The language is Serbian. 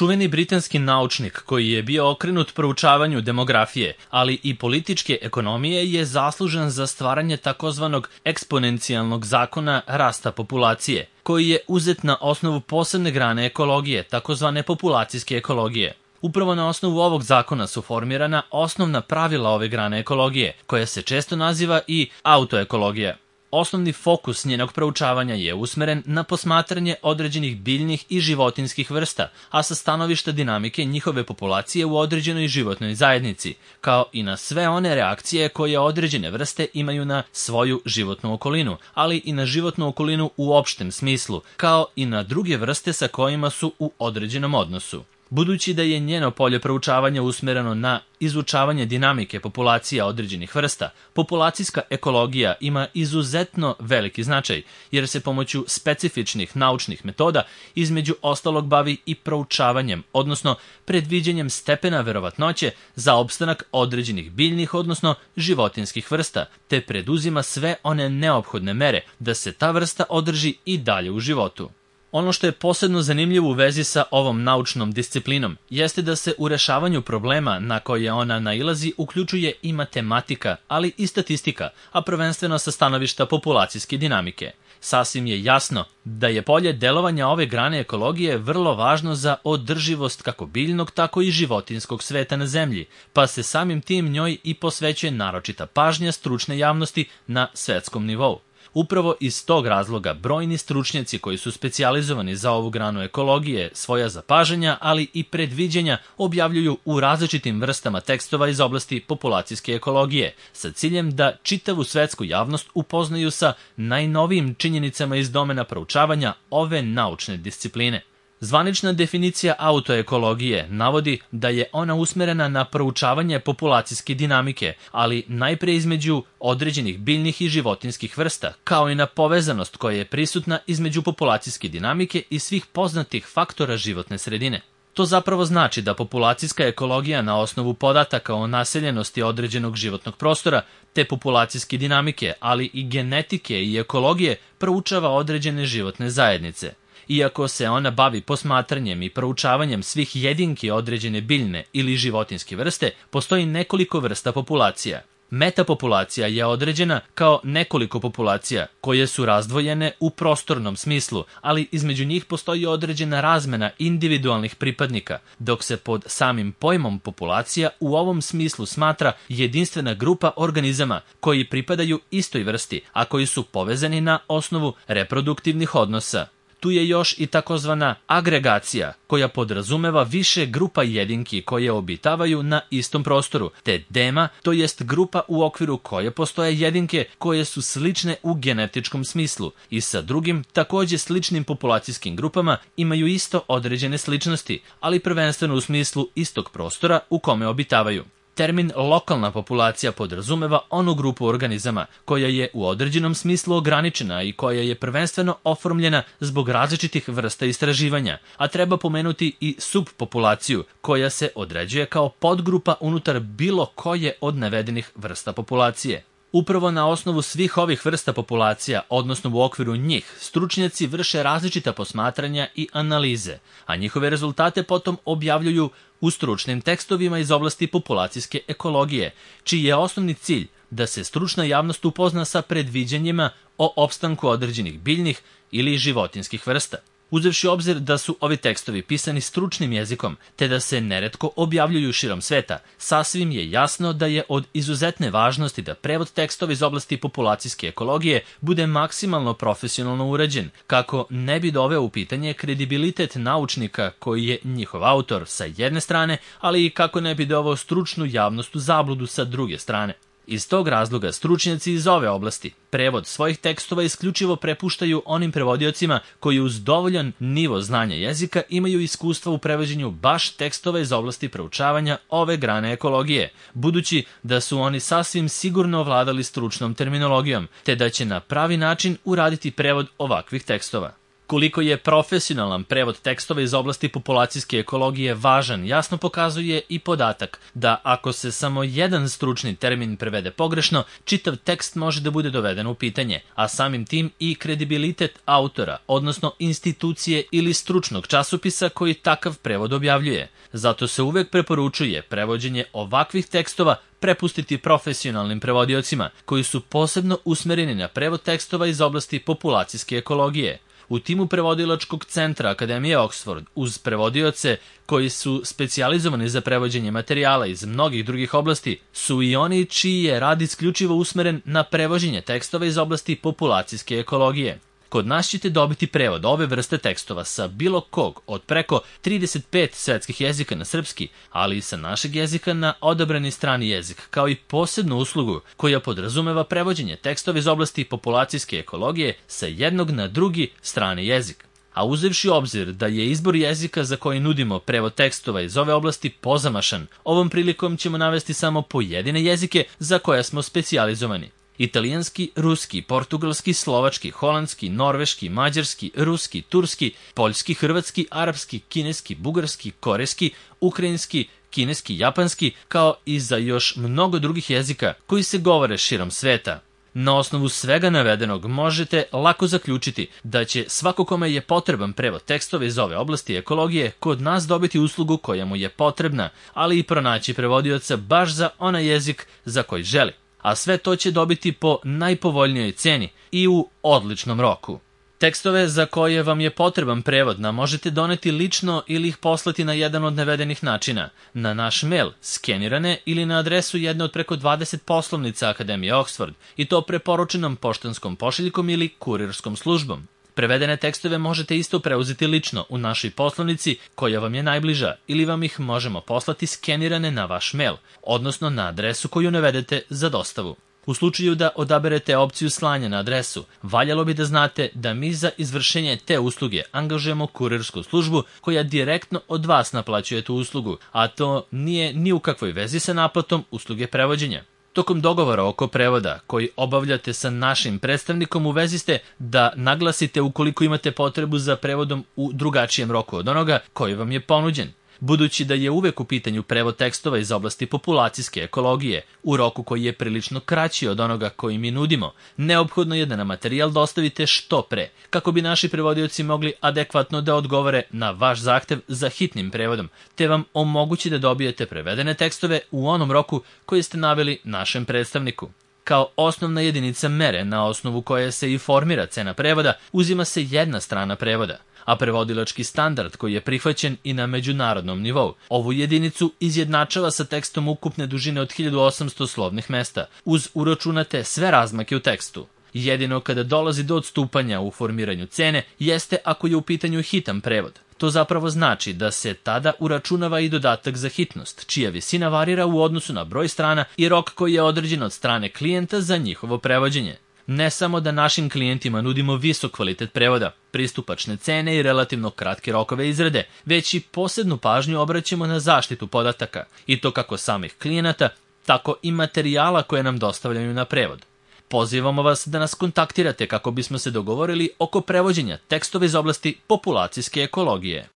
Čuveni britanski naučnik koji je bio okrenut proučavanju demografije, ali i političke ekonomije, je zaslužan za stvaranje takozvanog eksponencijalnog zakona rasta populacije, koji je uzet na osnovu posebne grane ekologije, takozvane populacijske ekologije. Upravo na osnovu ovog zakona su formirana osnovna pravila ove grane ekologije, koja se često naziva i autoekologija. Osnovni fokus njenog proučavanja je usmeren na posmatranje određenih biljnih i životinjskih vrsta, a sa stanovišta dinamike njihove populacije u određenoj životnoj zajednici, kao i na sve one reakcije koje određene vrste imaju na svoju životnu okolinu, ali i na životnu okolinu u opštem smislu, kao i na druge vrste sa kojima su u određenom odnosu. Budući da je njeno polje proučavanja usmereno na izučavanje dinamike populacija određenih vrsta, populacijska ekologija ima izuzetno veliki značaj, jer se pomoću specifičnih naučnih metoda između ostalog bavi i proučavanjem, odnosno predviđanjem stepena verovatnoće za opstanak određenih biljnih, odnosno životinjskih vrsta, te preduzima sve one neophodne mere da se ta vrsta održi i dalje u životu. Ono što je posebno zanimljivo u vezi sa ovom naučnom disciplinom jeste da se u rešavanju problema na koje ona nailazi uključuje i matematika, ali i statistika, a prvenstveno sa stanovišta populacijske dinamike. Sasvim je jasno da je polje delovanja ove grane ekologije vrlo važno za održivost kako biljnog, tako i životinjskog sveta na zemlji, pa se samim tim njoj i posvećuje naročita pažnja stručne javnosti na svetskom nivou. Upravo iz tog razloga brojni stručnjaci koji su specijalizovani za ovu granu ekologije svoja zapažanja, ali i predviđanja objavljuju u različitim vrstama tekstova iz oblasti populacijske ekologije, sa ciljem da čitavu svetsku javnost upoznaju sa najnovijim činjenicama iz domena proučavanja ove naučne discipline. Zvanična definicija autoekologije navodi da je ona usmerena na proučavanje populacijske dinamike, ali najpre između određenih biljnih i životinjskih vrsta, kao i na povezanost koja je prisutna između populacijske dinamike i svih poznatih faktora životne sredine. To zapravo znači da populacijska ekologija na osnovu podataka o naseljenosti određenog životnog prostora, te populacijske dinamike, ali i genetike i ekologije proučava određene životne zajednice. Iako se ona bavi posmatranjem i proučavanjem svih jedinki određene biljne ili životinjske vrste, postoji nekoliko vrsta populacija. Metapopulacija je određena kao nekoliko populacija koje su razdvojene u prostornom smislu, ali između njih postoji određena razmena individualnih pripadnika, dok se pod samim pojmom populacija u ovom smislu smatra jedinstvena grupa organizama koji pripadaju istoj vrsti, a koji su povezani na osnovu reproduktivnih odnosa. Tu je još i takozvana agregacija, koja podrazumeva više grupa jedinki koje obitavaju na istom prostoru, te dema, to jest grupa u okviru koje postoje jedinke koje su slične u genetičkom smislu i sa drugim, takođe sličnim populacijskim grupama imaju isto određene sličnosti, ali prvenstveno u smislu istog prostora u kome obitavaju. Termin lokalna populacija podrazumeva onu grupu organizama koja je u određenom smislu ograničena i koja je prvenstveno oformljena zbog različitih vrsta istraživanja, a treba pomenuti i subpopulaciju koja se određuje kao podgrupa unutar bilo koje od navedenih vrsta populacije. Upravo na osnovu svih ovih vrsta populacija, odnosno u okviru njih, stručnjaci vrše različita posmatranja i analize, a njihove rezultate potom objavljuju u stručnim tekstovima iz oblasti populacijske ekologije, čiji je osnovni cilj da se stručna javnost upozna sa predviđanjima o opstanku određenih biljnih ili životinjskih vrsta. Uzevši u obzir da su ovi tekstovi pisani stručnim jezikom, te da se neretko objavljuju širom sveta, sasvim je jasno da je od izuzetne važnosti da prevod tekstova iz oblasti populacijske ekologije bude maksimalno profesionalno urađen, kako ne bi doveo u pitanje kredibilitet naučnika koji je njihov autor sa jedne strane, ali i kako ne bi doveo stručnu javnost u zabludu sa druge strane. Iz tog razloga stručnjaci iz ove oblasti prevod svojih tekstova isključivo prepuštaju onim prevodiocima koji uz dovoljan nivo znanja jezika imaju iskustva u prevođenju baš tekstova iz oblasti proučavanja ove grane ekologije, budući da su oni sasvim sigurno ovladali stručnom terminologijom, te da će na pravi način uraditi prevod ovakvih tekstova. Koliko je profesionalan prevod tekstova iz oblasti populacijske ekologije važan, jasno pokazuje i podatak da ako se samo jedan stručni termin prevede pogrešno, čitav tekst može da bude doveden u pitanje, a samim tim i kredibilitet autora, odnosno institucije ili stručnog časopisa koji takav prevod objavljuje. Zato se uvek preporučuje prevođenje ovakvih tekstova prepustiti profesionalnim prevodiocima, koji su posebno usmereni na prevod tekstova iz oblasti populacijske ekologije. U timu prevodilačkog centra Akademije Oxford, uz prevodioce koji su specijalizovani za prevođenje materijala iz mnogih drugih oblasti, su i oni čiji je rad isključivo usmeren na prevođenje tekstova iz oblasti populacijske ekologije. Kod nas ćete dobiti prevod ove vrste tekstova sa bilo kog od preko 35 svetskih jezika na srpski, ali i sa našeg jezika na odabrani strani jezik, kao i posebnu uslugu koja podrazumeva prevođenje tekstova iz oblasti populacijske ekologije sa jednog na drugi strani jezik. A uzevši u obzir da je izbor jezika za koji nudimo prevod tekstova iz ove oblasti pozamašan, ovom prilikom ćemo navesti samo pojedine jezike za koje smo specijalizovani. Italijanski, ruski, portugalski, slovački, holandski, norveški, mađarski, ruski, turski, poljski, hrvatski, arapski, kineski, bugarski, korejski, ukrajinski, kineski, japanski, kao i za još mnogo drugih jezika koji se govore širom sveta. Na osnovu svega navedenog možete lako zaključiti da će svako kome je potreban prevod tekstova iz ove oblasti ekologije kod nas dobiti uslugu koja mu je potrebna, ali i pronaći prevodioca baš za onaj jezik za koji želi. A sve to će dobiti po najpovoljnijoj ceni i u odličnom roku. Tekstove za koje vam je potreban prevod nam možete doneti lično ili ih poslati na jedan od navedenih načina, na naš mail, skenirane ili na adresu jedne od preko 20 poslovnica Akademije Oxford, i to preporučenom poštanskom pošiljkom ili kurirskom službom. Prevedene tekstove možete isto preuzeti lično u našoj poslovnici koja vam je najbliža, ili vam ih možemo poslati skenirane na vaš mail, odnosno na adresu koju navedete za dostavu. U slučaju da odaberete opciju slanja na adresu, valjalo bi da znate da mi za izvršenje te usluge angažujemo kurirsku službu koja direktno od vas naplaćuje tu uslugu, a to nije ni u kakvoj vezi sa naplatom usluge prevođenja. Tokom dogovora oko prevoda koji obavljate sa našim predstavnikom u vezi ste da naglasite ukoliko imate potrebu za prevodom u drugačijem roku od onoga koji vam je ponuđen. Budući da je uvek u pitanju prevod tekstova iz oblasti populacijske ekologije u roku koji je prilično kraći od onoga koji mi nudimo, neophodno je da nam materijal dostavite što pre, kako bi naši prevodioci mogli adekvatno da odgovore na vaš zahtev za hitnim prevodom, te vam omogući da dobijete prevedene tekstove u onom roku koji ste naveli našem predstavniku. Kao osnovna jedinica mere na osnovu koje se i formira cena prevoda, uzima se jedna strana prevoda, a prevodilački standard koji je prihvaćen i na međunarodnom nivou ovu jedinicu izjednačava sa tekstom ukupne dužine od 1800 slovnih mesta, uz uračunate sve razmake u tekstu. Jedino kada dolazi do odstupanja u formiranju cene jeste ako je u pitanju hitan prevod. To zapravo znači da se tada uračunava i dodatak za hitnost, čija visina varira u odnosu na broj strana i rok koji je određen od strane klijenta za njihovo prevođenje. Ne samo da našim klijentima nudimo visok kvalitet prevoda, pristupačne cene i relativno kratke rokove izrade, već i posebnu pažnju obraćamo na zaštitu podataka, i to kako samih klijenata, tako i materijala koje nam dostavljaju na prevod. Pozivamo vas da nas kontaktirate kako bismo se dogovorili oko prevođenja tekstova iz oblasti populacijske ekologije.